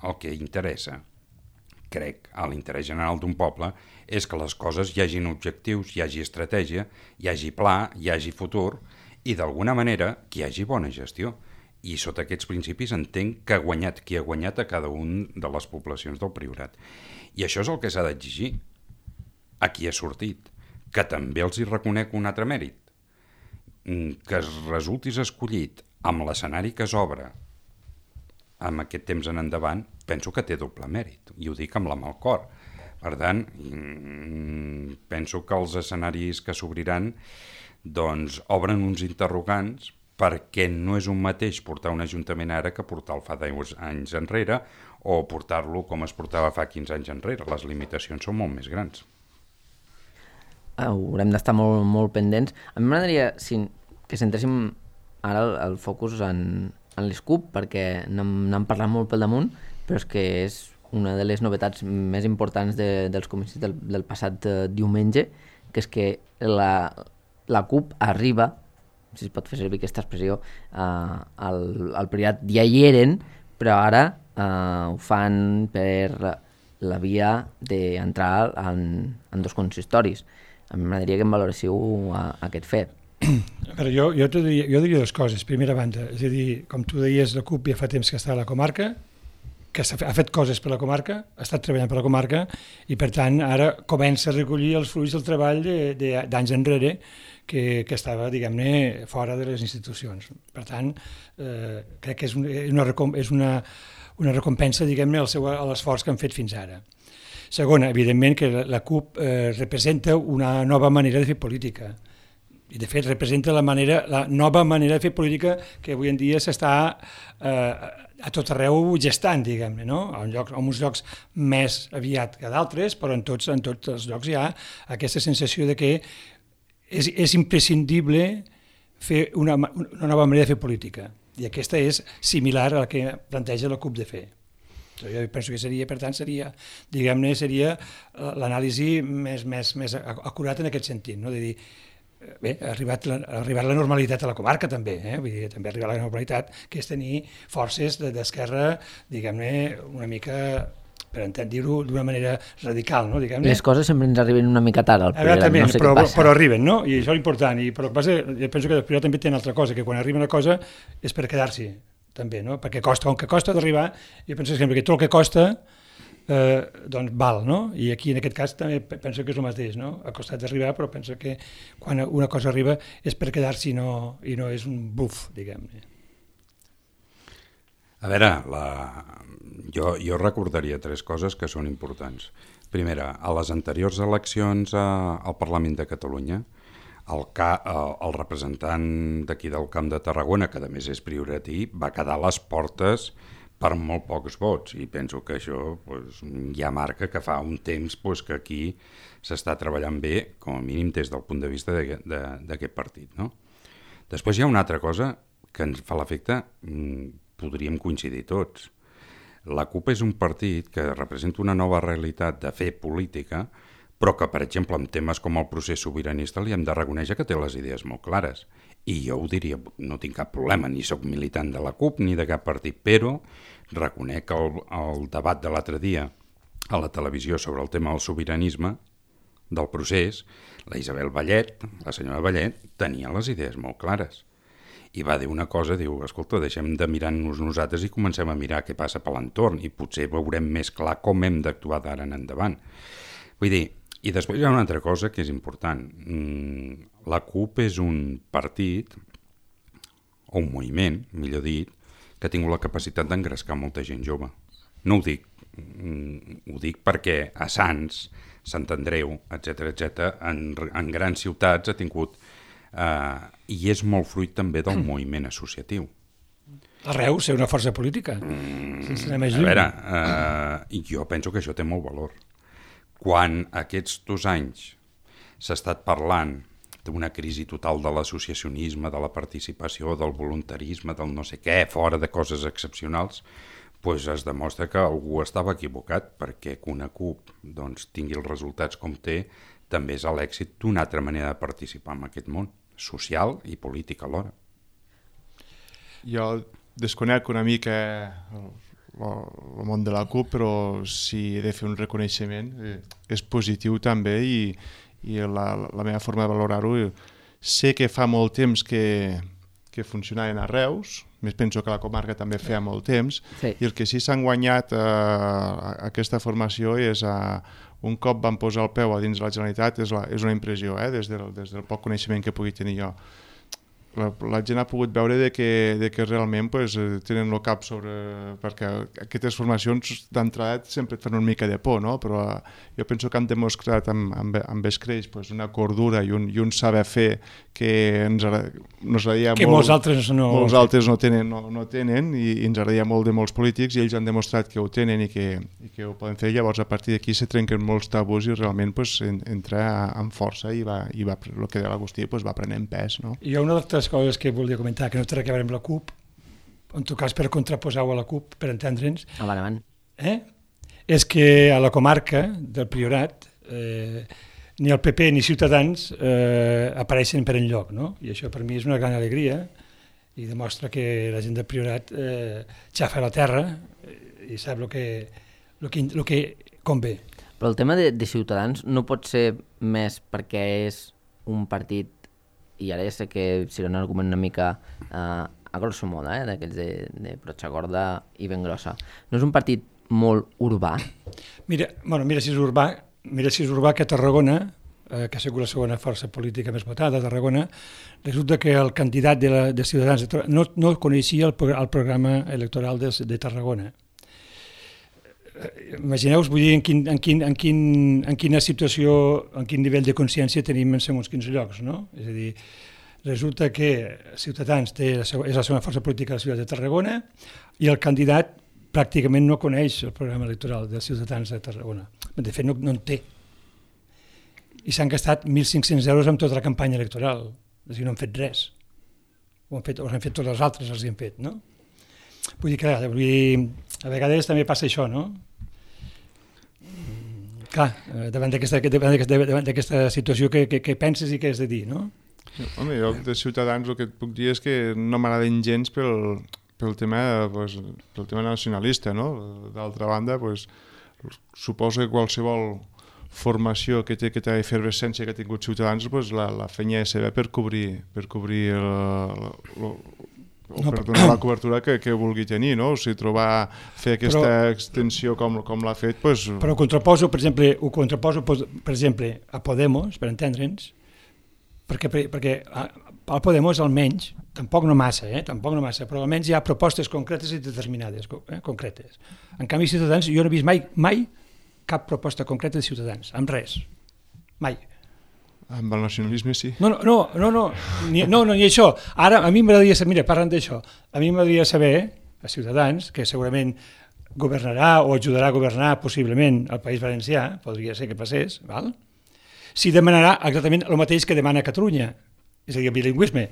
el que interessa, crec, a l'interès general d'un poble, és que les coses hi hagin objectius, hi hagi estratègia, hi hagi pla, hi hagi futur, i d'alguna manera que hi hagi bona gestió. I sota aquests principis entenc que ha guanyat qui ha guanyat a cada un de les poblacions del Priorat. I això és el que s'ha d'exigir a qui ha sortit, que també els hi reconec un altre mèrit. que resultis escollit amb l'escenari que s'obre amb aquest temps en endavant, penso que té doble mèrit, i ho dic amb la mà al cor. Per tant, penso que els escenaris que s'obriran doncs obren uns interrogants, perquè no és un mateix portar un ajuntament ara que portar-lo fa 10 anys enrere o portar-lo com es portava fa 15 anys enrere. Les limitacions són molt més grans. Haurem d'estar molt, molt pendents. A mi m'agradaria que centréssim ara el focus en l'SCUP, perquè n'hem parlat molt pel damunt, però és que és una de les novetats més importants dels comicis del passat diumenge, que és que la CUP arriba, si es pot fer servir aquesta expressió, al Priorat ja hi eren, però ara ho fan per la via d'entrar en 2 consistoris. A mi m'agradaria que em valoréssiu aquest fet. Però jo diria 2 coses. Primera banda, és a dir, com tu deies, la CUP ja fa temps que està a la comarca, que ha fet coses per la comarca, ha estat treballant per la comarca, i per tant ara comença a recollir els fruits del treball d'anys enrere, que estava, diguem-ne, fora de les institucions. Per tant, crec que és una recompensa, diguem-ne, a l'esforç que han fet fins ara. Segona, evidentment que la CUP representa una nova manera de fer política. I, de fet, representa la nova manera de fer política que avui en dia s'està a tot arreu gestant, diguem-ne, no? En uns llocs més aviat que d'altres, però en tots els llocs hi ha aquesta sensació de que és imprescindible fer una nova manera de fer política. I aquesta és similar a la que planteja la CUP de fer. Jo penso que seria, per tant, diguem-ne, seria l'anàlisi més acurat en aquest sentit, no? De dir, bé, ha arribat la normalitat a la comarca també, vull dir, també ha arribat la normalitat, que és tenir forces d'esquerra, diguem-ne, una mica, per dir-ho d'una manera radical, no? Diguem-ne. Les coses sempre ens arriben una mica tard al Priorat, no sé què passa. Però arriben, no? I això és important, però el que passa, jo penso que el Priorat també té una altra cosa, que quan arriba una cosa és per quedar-s'hi, també, no? Perquè com que costa d'arribar, jo penso sempre que tot el que costa doncs val, no? I aquí en aquest cas també penso que és el mateix, no? Ha costat d'arribar, però penso que quan una cosa arriba és per quedar-s'hi i no és un buf, diguem-ne. A veure, jo recordaria 3 coses que són importants. Primera, a les anteriors eleccions al Parlament de Catalunya, el representant d'aquí del Camp de Tarragona, que a més és prioratí, va quedar a les portes per molt pocs vots, i penso que això ja marca que fa un temps que aquí s'està treballant bé, com a mínim des del punt de vista d'aquest partit, no? Després hi ha una altra cosa que ens fa l'efecte, podríem coincidir tots. La CUP és un partit que representa una nova realitat de fer política, però que, per exemple, en temes com el procés sobiranista li hem de reconèixer que té les idees molt clares. I jo ho diria, no tinc cap problema, ni sóc militant de la CUP ni de cap partit, però reconec que el debat de l'altre dia a la televisió sobre el tema del sobiranisme, del procés, la Isabel Vallet, la senyora Vallet, tenia les idees molt clares. I va dir una cosa, diu, escolta, deixem de mirar-nos nosaltres i comencem a mirar què passa per l'entorn i potser veurem més clar com hem d'actuar d'ara en endavant. Vull dir, i després hi ha una altra cosa que és important. La CUP és un partit, o un moviment, millor dit, que ha tingut la capacitat d'engrescar molta gent jove. No ho dic, ho dic perquè a Sants, Sant Andreu, etc., en grans ciutats ha tingut... i és molt fruit també del moviment associatiu. A Reus ser una força política, sense anar més lluny. A veure, jo penso que això té molt valor. Quan aquests 2 anys s'ha estat parlant d'una crisi total de l'associacionisme, de la participació, del voluntarisme, del no sé què, fora de coses excepcionals, doncs es demostra que algú estava equivocat, perquè que una CUP tingui els resultats com té, també és l'èxit d'una altra manera de participar en aquest món, social i polític alhora. Jo desconec una mica el món de la CUP, però si he de fer un reconeixement és positiu també, i la meva forma de valorar-ho, sé que fa molt temps que funcionaven a Reus, més penso que la comarca també feia molt temps, sí. I el que sí s'han guanyat aquesta formació és un cop van posar el peu a dins de la Generalitat, és una impressió, des del poc coneixement que pugui tenir jo. la gent ha pogut veure de que realment pues, tenen el cap sobre... perquè aquestes formacions d'entrada sempre et fan una mica de por, no? Però jo penso que han demostrat amb Escreix pues, una cordura i un saber fer que ens agradaria que molt... molts altres no tenen i ens agradaria molt de molts polítics i ells han demostrat que ho tenen i que ho poden fer. Llavors a partir d'aquí se trenquen molts tabús i realment pues, entra amb força i el que deia l'Agustí pues, va prenent pes, no? Hi ha una altra coses que volia comentar, que no té res a veure amb la CUP, en tot cas per contraposar-ho a la CUP, per entendre'ns. Avant. És que a la comarca del Priorat ni el PP ni Ciutadans apareixen per enlloc, no? I això per mi és una gran alegria i demostra que la gent del Priorat xafa la terra i sap el que convé. Però el tema de Ciutadans no pot ser més perquè és un partit, i ara ja sé que serà un argument una mica a grosso modo, d'aquells de brotxa gorda i ben grossa. No és un partit molt urbà? Mira si és urbà que a Tarragona, que ha sigut la segona força política més votada a Tarragona, resulta que el candidat de Ciutadans no coneixia el programa electoral de Tarragona. Imagineu-vos, vull dir, en quina situació, en quin nivell de consciència tenim en segons quins llocs, no? És a dir, resulta que Ciutadans és la segona força política de la ciutat de Tarragona i el candidat pràcticament no coneix el programa electoral dels Ciutadans de Tarragona. De fet, no en té. I s'han gastat 1.500 euros amb tota la campanya electoral. És a dir, no han fet res. Ho han fet tots els altres, els hi han fet, no? Vull dir que a vegades també passa això, no? Clar, davant d'aquesta situació que penses i què has de dir, no? Home, jo de Ciutadans el que et puc dir és que no m'agraden gens pel tema nacionalista, no? D'altra banda, suposo que qualsevol formació que té aquesta efervescència que ha tingut Ciutadans, la feina és seva per cobrir per donar la cobertura que vulgui tenir, no? O sigui, fer aquesta extensió com l'ha fet... Però ho contraposo, per exemple, a Podemos, per entendre'ns, perquè al Podemos almenys, tampoc no massa, però almenys hi ha propostes concretes i determinades, concretes. En canvi, Ciutadans, jo no he vist mai cap proposta concreta de Ciutadans, amb res, mai. Amb el nacionalisme sí. No, ni això. Ara, a mi m'agradaria saber, mira, parlant d'això, a mi m'agradaria saber, a Ciutadans, que segurament governarà o ajudarà a governar possiblement el País Valencià, podria ser que passés, val? Si demanarà exactament el mateix que demana Catalunya, és a dir, el bilingüisme.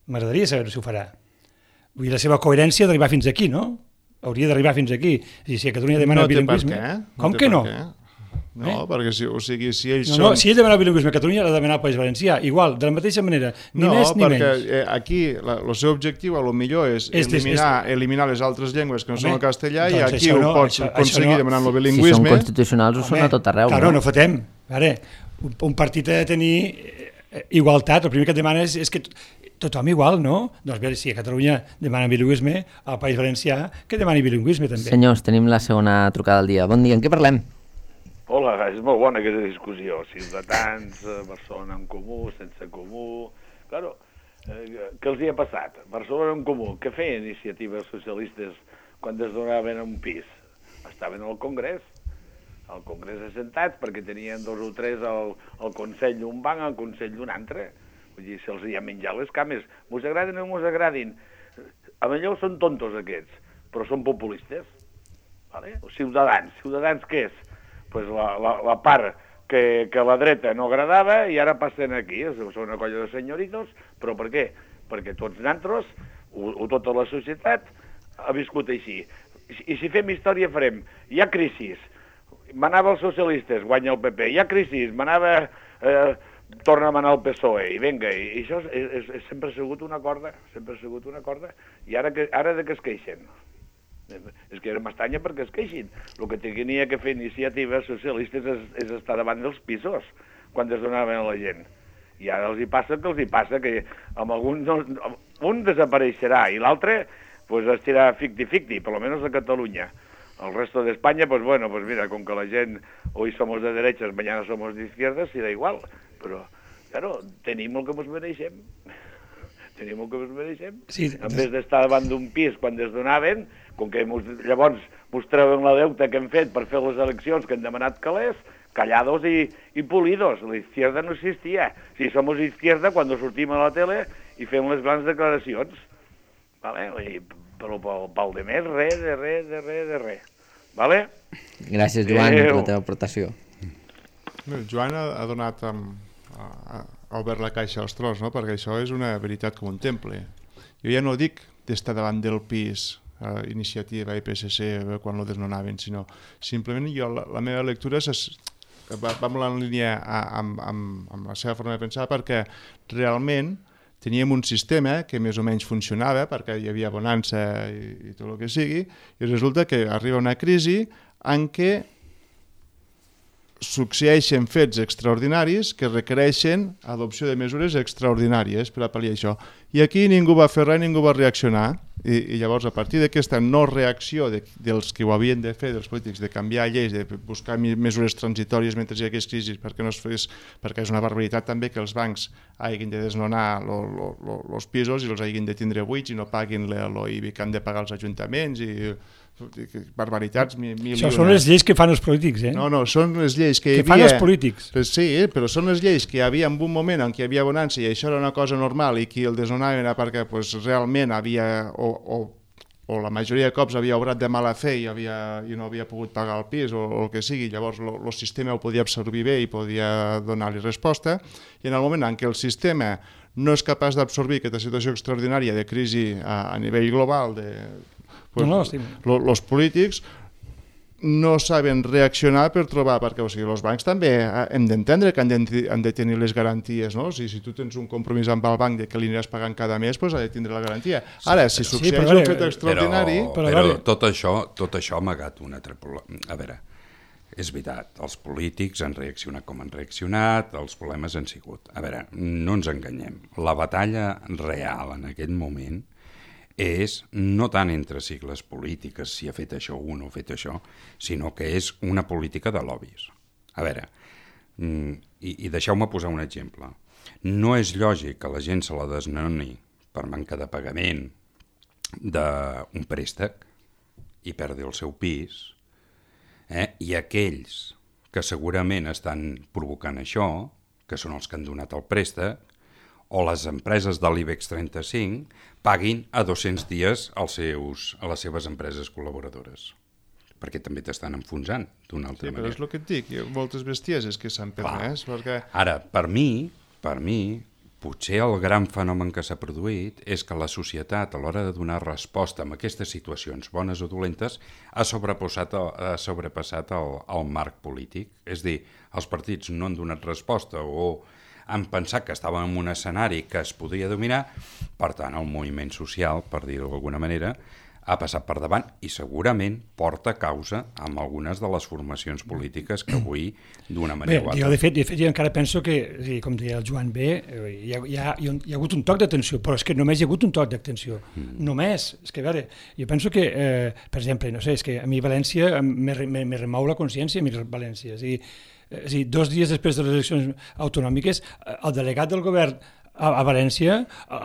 M'agradaria saber si ho farà. Vull dir, la seva coherència d'arribar fins aquí, no? Hauria d'arribar fins aquí. És a dir, si a Catalunya demana el bilingüisme... Com que no? No, perquè si ells són... No, si ell demana el bilingüisme a Catalunya, l'ha de demanar al País Valencià, igual, de la mateixa manera, ni més ni menys. No, perquè aquí el seu objectiu a lo millor és eliminar les altres llengües que no són el castellà i aquí ho pots aconseguir demanant el bilingüisme. Si són constitucionals ho són a tot arreu. Claro, no fotem. Un partit ha de tenir igualtat, el primer que et demana és que tothom igual, no? Doncs si a Catalunya demana bilingüisme, al País Valencià que demani bilingüisme també. Senyors, tenim la segona trucada del dia. Bon dia, en què parlem? Hola, és molt bona aquesta discussió. Ciutadans, Barcelona en Comú, sense Comú... Claro, què els hi ha passat? Barcelona en Comú, què feien iniciatives socialistes quan es donaven un pis? Estaven al Congrés assentats perquè tenien 2 o 3 al Consell d'un banc, al Consell d'un altre. Vull dir, se'ls hi ha menjat les cames. Mos agradin o mos agradin. A millor són tontos aquests, però són populistes. Vale? Ciutadans què és? Pues la part que la dreta no agradava i ara passen aquí, són una colla de senyoritos, però per què? Perquè tots nosaltres, o tota la societat, ha viscut així. I si fem història farem, hi ha crisis, manava els socialistes, guanya el PP, hi ha crisis, torna a manar el PSOE, i vinga, i això sempre ha sigut una corda, i ara de què es queixen? És que m'estranya perquè es queixin. El que tenia que fer iniciatives socialistes és estar davant dels pisos quan es donaven a la gent. I ara els hi passa que amb un desapareixerà i l'altre estirà ficti, per almenys a Catalunya. El resto de España, mira, com que la gent hoy somos de derechas, mañana somos de izquierdas, si da igual. Però, claro, tenim el que ens mereixem. tenim el que ens mereixem. Sí, en vez d'estar davant d'un pis quan es donaven, com que llavors mos treuen la deuta que hem fet per fer les eleccions que han demanat calés, callados y pulidos. La izquierda no existia. Si somos izquierda, quan sortim a la tele i fem les grans declaracions. Vale? Però pel de més, res. Vale? Gràcies, Joan, per la teva aportació. El Joan ha donat, ha obert la caixa als tros, no? Perquè això és una veritat com un temple. Jo ja no dic d'estar davant del pis, Iniciativa i PSC quan lo desnonaven, sinó simplement jo, la meva lectura va molt en línia amb la seva forma de pensar, perquè realment teníem un sistema que més o menys funcionava, perquè hi havia bonança i tot el que sigui, i resulta que arriba una crisi en què succeeixen fets extraordinaris que requereixen adopció de mesures extraordinàries per a pal·liar això. I aquí ningú va fer res, ningú va reaccionar, i llavors a partir d'aquesta no reacció dels que ho havien de fer, dels polítics, de canviar lleis, de buscar mesures transitòries mentre hi hagués crisi, perquè no es fes, perquè és una barbaritat també que els bancs hagin de desnonar els pisos i els hagin de tindre buits i no paguin l'IBI que han de pagar els ajuntaments i barbaritats. Això són les lleis que fan els polítics, eh? No, són les lleis que hi havia... fan els polítics. Sí, però són les lleis que hi havia en un moment en què hi havia bonança i això era una cosa normal i qui el desnonava era perquè realment havia, o la majoria de cops havia obrat de mala fe i no havia pogut pagar el pis o el que sigui, llavors el sistema ho podia absorbir bé i podia donar-li resposta, i en el moment en què el sistema no és capaç d'absorbir aquesta situació extraordinària de crisi a nivell global els polítics no saben reaccionar per trobar, perquè els bancs també hem d'entendre que han de tenir les garanties, no? Si tu tens un compromís amb el banc de que li aniràs pagant cada mes, doncs ha de tindre la garantia. Ara, si succeeix un fet extraordinari... Però tot això ha amagat una altra... A veure, és veritat, els polítics han reaccionat com han reaccionat, els problemes han sigut. A veure, no ens enganyem. La batalla real en aquest moment és no tant entre sigles polítiques, si ha fet això o no ha fet això, sinó que és una política de lobbies. A veure, i deixeu-me posar un exemple. No és lògic que la gent se la desnoni per manca de pagament d'un préstec i perdi el seu pis, i aquells que segurament estan provocant això, que són els que han donat el préstec, o les empreses de l'IBEX 35 paguin a 200 dies a les seves empreses col·laboradores, perquè també t'estan enfonsant d'una altra manera. Però és el que et dic, hi ha moltes bestieses que s'han permès. Perquè... Ara, per mi, potser el gran fenomen que s'ha produït és que la societat, a l'hora de donar resposta a aquestes situacions bones o dolentes, ha sobrepassat el marc polític. És a dir, els partits no han donat resposta o han pensat que estàvem en un escenari que es podia dominar, per tant el moviment social, per dir-ho d'alguna manera, ha passat per davant i segurament porta causa amb algunes de les formacions polítiques que avui, d'una manera o altra... Jo de fet jo encara penso que, com deia el Joan B, hi ha hagut un toc d'atenció, però és que només hi ha hagut un toc d'atenció. Només. És que, a veure, jo penso que, per exemple, no sé, és que a mi València me remou la consciència, a mi València. És a dir, 2 dies després de les eleccions autonòmiques, el delegat del govern a València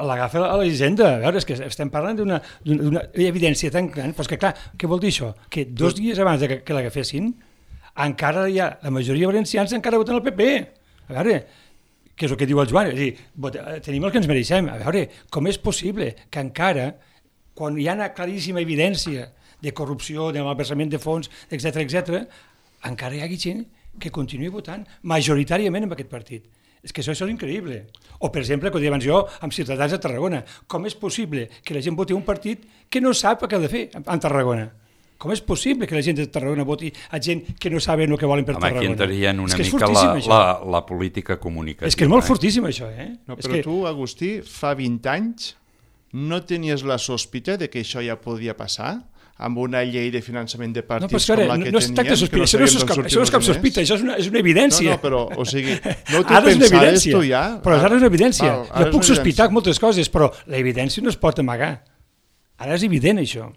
l'agafa a la hisenda. A veure, és que estem parlant d'una evidència tan gran, però és que clar, què vol dir això? Que 2 dies abans que l'agafessin, encara hi ha, la majoria de valencians encara voten el PP. A veure, què és el que diu el Joan? És a dir, tenim el que ens mereixem. A veure, com és possible que encara, quan hi ha una claríssima evidència de corrupció, de malversament de fons, etc., encara hi hagi gent que continuï votant majoritàriament en aquest partit. És que això és increïble. O, per exemple, com deia abans jo, amb Ciutadans de Tarragona. Com és possible que la gent voti un partit que no sap què ha de fer a Tarragona? Com és possible que la gent de Tarragona voti a gent que no saben el que volen per Tarragona? Aquí entraria una mica la política comunicativa. És que és molt fortíssim, això, eh? No, però tu, Agustí, fa 20 anys no tenies la sospita de que això ja podia passar? Amb una llei de finançament de partits com la que teníem... No es tracta de sospita, això no és cap sospita, això és una evidència. No, però, o sigui, no t'ho pensaves tu ja... Però ara és una evidència. Jo puc sospitar moltes coses, però l'evidència no es pot amagar. Ara és evident, això.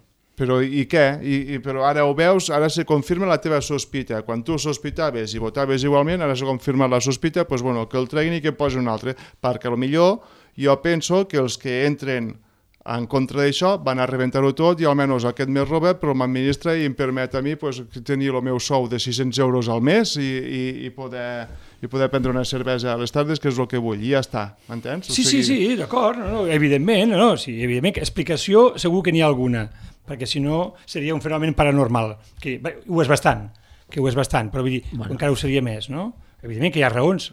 Però i què? Però ara ho veus, ara se confirma la teva sospita. Quan tu sospitaves i votaves igualment, ara se confirma la sospita, doncs bueno, que el treguin i que posi un altre, perquè potser Jo penso que els que entren en contra d'això van a rebentar-ho tot i almenys aquest mes Robert però m'administra i em permet a mi pues, tenir el meu sou de 600 euros al mes i poder prendre una cervesa a les tardes, que és el que vull, i ja està, m'entens? Sí, d'acord, evidentment, evidentment, explicació segur que n'hi ha alguna, perquè si no seria un fenomen paranormal, que ho és bastant, però vull dir, encara ho seria més, no? Evidentment que hi ha raons,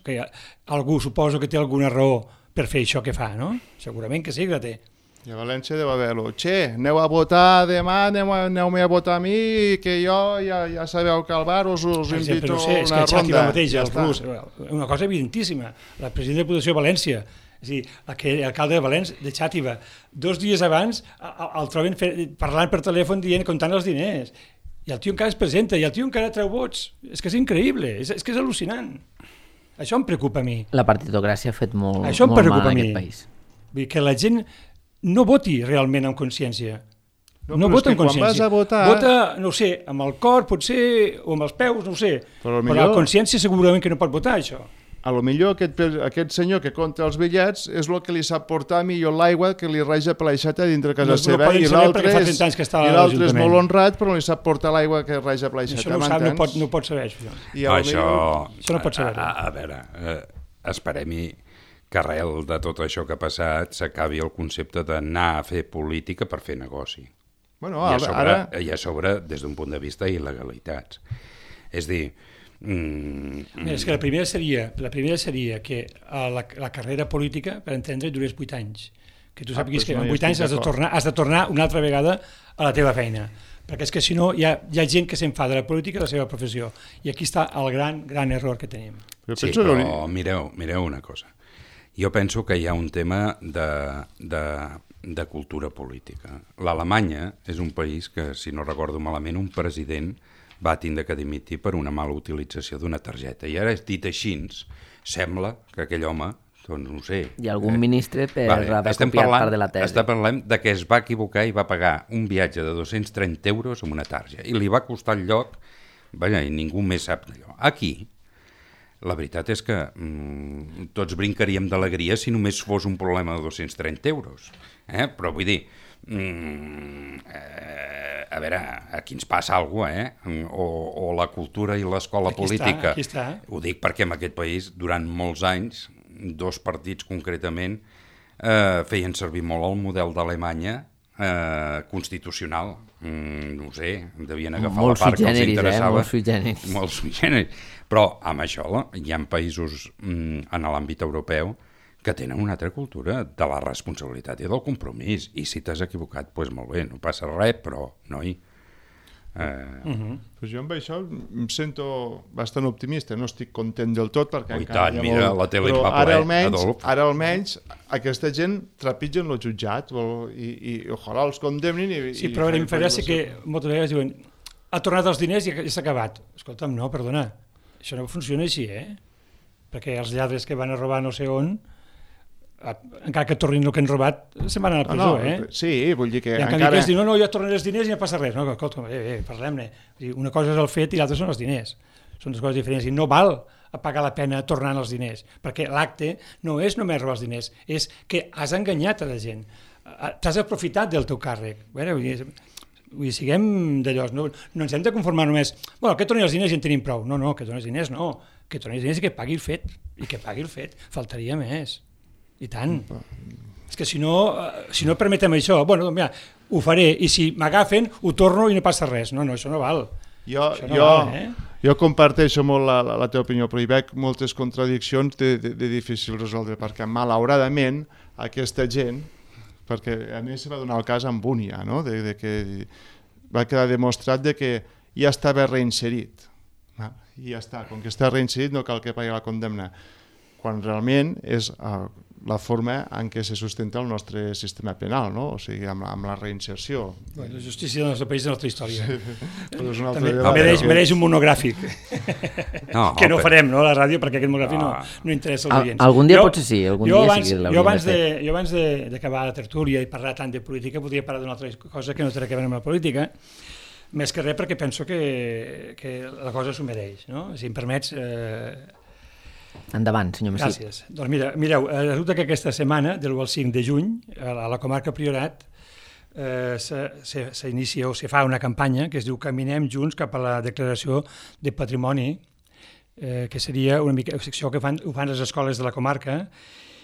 algú suposo que té alguna raó per fer això que fa, no? Segurament que sí que la té. I a València deu haver-lo. Aneu a votar demà, aneu-me a votar a mi, que jo ja sabeu que al bar us invito a una ronda. Una cosa evidentíssima. La presidenta de Diputació de València, és a dir, l'alcalde de València, de Xàtiva, 2 dies abans el troben parlant per telèfon dient, comptant els diners. I el tio encara es presenta, i el tio encara treu vots. És que és increïble, és que és al·lucinant. Això em preocupa a mi. La partitocràcia ha fet molt mal en aquest país. Vull dir que la gent no voti realment amb consciència. No vota amb consciència. Quan vas a votar... Vota, no ho sé, amb el cor, potser, o amb els peus, no ho sé. Però la consciència segurament que no pot votar, això. A lo millor aquest senyor que compta els bitllets és el que li sap portar millor l'aigua que li raja per l'aixeta dintre casa seva, i l'altre és molt honrat però no li sap portar l'aigua que raja per l'aixeta. Això no pot saber, això no pot saber. A veure, esperem-hi que arrel de tot això que ha passat s'acabi el concepte d'anar a fer política per fer negoci. I a sobre des d'un punt de vista il·legalitats. És dir... És que la primera seria que la carrera política, per entendre, durés 8 anys. Que tu sàpiguis que en 8 anys has de tornar una altra vegada a la teva feina. Perquè és que si no hi ha gent que s'enfada de la política i de la seva professió. I aquí està el gran error que tenim. Sí, però mireu una cosa. Jo penso que hi ha un tema de cultura política. L'Alemanya és un país que, si no recordo malament, un president va tindre que dimitir per una mala utilització d'una targeta. I ara, dit així, sembla que aquell home, doncs no ho sé... Hi ha algun ministre per haver copiat part de la tesi. Parlem de que es va equivocar i va pagar un viatge de 230 euros amb una targeta. I li va costar el lloc, i ningú més sap d'allò. Aquí... La veritat és que tots brincaríem d'alegria si només fos un problema de 230 euros. Però vull dir, a veure, aquí ens passa alguna cosa, o la cultura i l'escola política. Aquí està. Ho dic perquè en aquest país, durant molts anys, 2 partits concretament, feien servir molt el model d'Alemanya constitucional. No ho sé, devien agafar la part que els interessava. Molt sui generis. Però amb això hi ha països en l'àmbit europeu que tenen una altra cultura de la responsabilitat i del compromís. I si t'has equivocat, doncs molt bé, no passa res, però, noi... Pues jo amb això em sento bastant optimista, no estic content del tot perquè tant, mira, la tele va ple, Adolf. Ara almenys aquesta gent trepitgen el jutjat i ojalà els condemnin sí, però em fa gràcia que moltes vegades diuen ha tornat els diners i s'ha acabat. Escolta'm, no, perdona, això no funciona així, perquè els lladres que van a robar no sé on, encara que tornin el que han robat, se'n van a la presó, Sí, vull dir que i encara... que es diu, no, jo tornaré els diners i no passa res. No, escolta, parlem-ne. Una cosa és el fet i l'altra són els diners. Són dues coses diferents i no val pagar la pena tornant els diners, perquè l'acte no és només robar els diners, és que has enganyat a la gent. T'has aprofitat del teu càrrec. Vull dir, siguem d'allò, no ens hem de conformar només, que torni els diners i en tenim prou. No, que torni els diners no, que torni els diners i que pagui el fet, faltaria més. I tant. És que si no permetem això, mira, ho faré, i si m'agafen, ho torno i no passa res. No, això no val. Jo comparteixo molt la teva opinió, però hi veig moltes contradiccions de difícil resoldre, perquè malauradament aquesta gent, perquè a mi se va donar el cas amb Bunia, no? de que va quedar demostrat de que ja estava reinserit. I ja està, com que està reinserit no cal que pagui la condemna, quan realment és la forma en què se sustenta el nostre sistema penal, no? O sigui, amb la reinserció. La justícia del nostre país és una altra història. També mereix un monogràfic. Que no farem, no, a la ràdio, perquè aquest monogràfic no interessa als oients. Algun dia potser sí, Jo abans d'acabar la tertúlia i parlar tant de política, podria parlar d'una altra cosa que no té a veure amb la política, més que res perquè penso que la cosa s'ho mereix, no? Si em permets... Endavant, senyor Messi. Gràcies. Doncs mireu, resulta que aquesta setmana, del 1 al 5 de juny, a la comarca Priorat, s'inicia o se fa una campanya que es diu Caminem junts cap a la declaració de patrimoni, que seria una mica secció que ho fan les escoles de la comarca,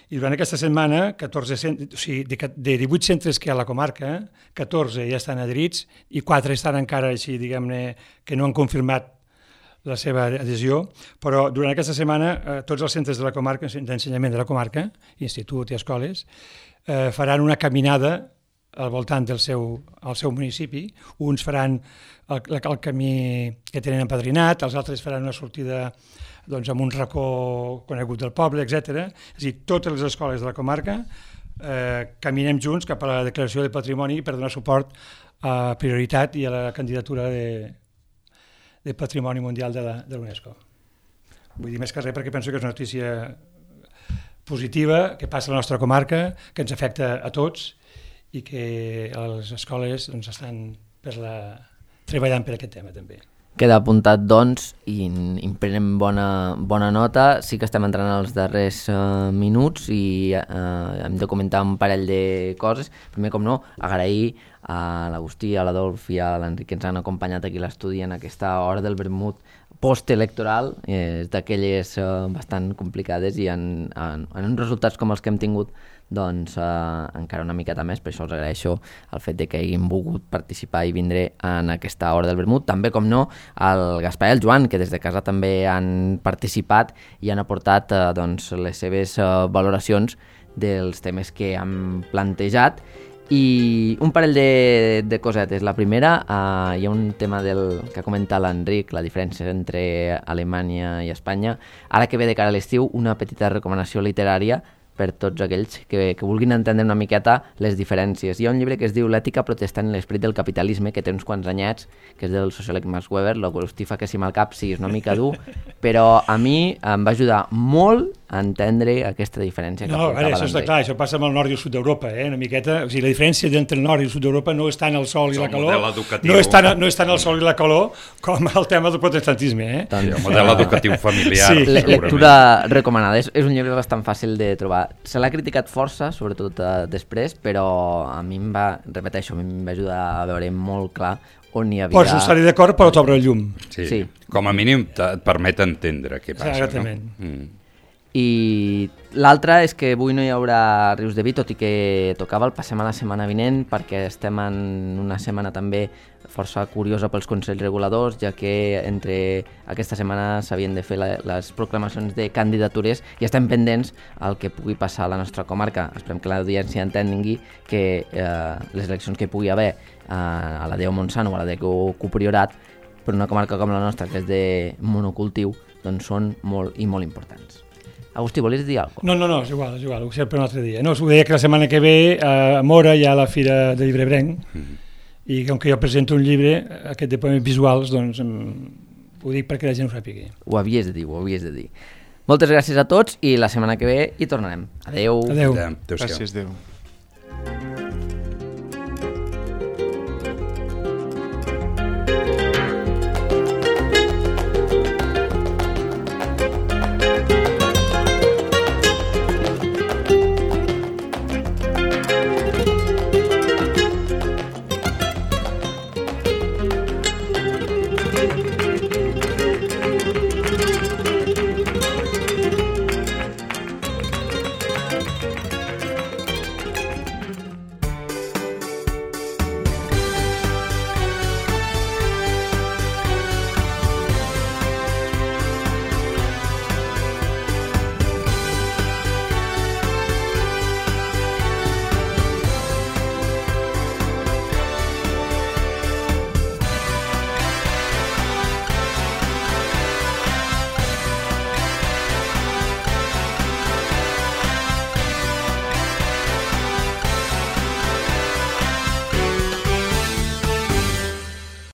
i durant aquesta setmana, de 18 centres que hi ha a la comarca, 14 ja estan adherits i 4 estan encara així, diguem-ne, que no han confirmat la seva adhesió, però durant aquesta setmana tots els centres de la comarca, d'ensenyament de la comarca, institut i escoles, faran una caminada al voltant del seu municipi. Uns faran el camí que tenen empadrinat, els altres faran una sortida amb un racó conegut del poble, etc. És a dir, totes les escoles de la comarca caminem junts cap a la declaració de patrimoni per donar suport a Prioritat i a la candidatura de Patrimoni Mundial de l'UNESCO. Vull dir més que res perquè penso que és una notícia positiva que passa a la nostra comarca, que ens afecta a tots i que les escoles estan treballant per aquest tema també. Queda apuntat, doncs, i en prenem bona nota. Sí que estem entrant als darrers minuts i hem de comentar un parell de coses. Primer, com no, agrair a l'Agustí, a l'Adolf i a l'Enric que ens han acompanyat aquí a l'estudi en aquesta hora del vermut postelectoral, d'aquelles bastant complicades, i en uns resultats com els que hem tingut doncs encara una miqueta més. Per això els agraeixo el fet de que hagin volgut participar i vindre en aquesta hora del vermut. També, com no, el Gaspar i el Joan, que des de casa també han participat i han aportat les seves valoracions dels temes que han plantejat. I un parell de cosetes. La primera, hi ha un tema que ha comentat l'Enric, la diferència entre Alemanya i Espanya. Ara que ve de cara a l'estiu, una petita recomanació literària per tots aquells que vulguin entendre una miqueta les diferències. Hi ha un llibre que es diu L'ètica protestant i l'esperit del capitalisme, que té uns quants anyets, que és del sociòleg Max Weber. L'Agustí fa que si mal cap sí, és una mica dur, però a mi em va ajudar molt a entendre aquesta diferència que aportava l'Enric. Això està clar, això passa amb el nord i el sud d'Europa, una miqueta. O sigui, la diferència entre el nord i el sud d'Europa no és tant el sol i la calor, no és tant el sol i la calor com el tema del protestantisme. Sí, el model educatiu familiar. Sí. Lectura recomanada. És un llibre bastant fàcil de trobar. Se l'ha criticat força, sobretot després, però a mi em va ajudar a veure molt clar on hi havia... Pots no estar-hi d'acord, però t'obre el llum. Sí. Com a mínim et permet entendre què passa. Exactament. No? I l'altre és que avui no hi haurà Rius de Vi, tot i que tocava el passem a la setmana vinent, perquè estem en una setmana també força curiosa pels Consells Reguladors, ja que entre aquesta setmana s'havien de fer les proclamacions de candidatures i estem pendents al que pugui passar a la nostra comarca. Esperem que l'audiència entengui que les eleccions que hi pugui haver a la Déu Montsant o a la Déu Priorat, per una comarca com la nostra, que és de monocultiu, doncs són molt i molt importants. Agustí, volies dir alguna cosa? No, és igual, ho sé per un altre dia. No, us ho deia que la setmana que ve a Mora hi ha la Fira de Llibrebrenc, i com que jo presento un llibre, aquest de poemes visuals, doncs ho dic perquè la gent ho sàpigui. Ho havies de dir. Moltes gràcies a tots i la setmana que ve hi tornarem. Adeu. Adeu. Adéu. Gràcies, adéu.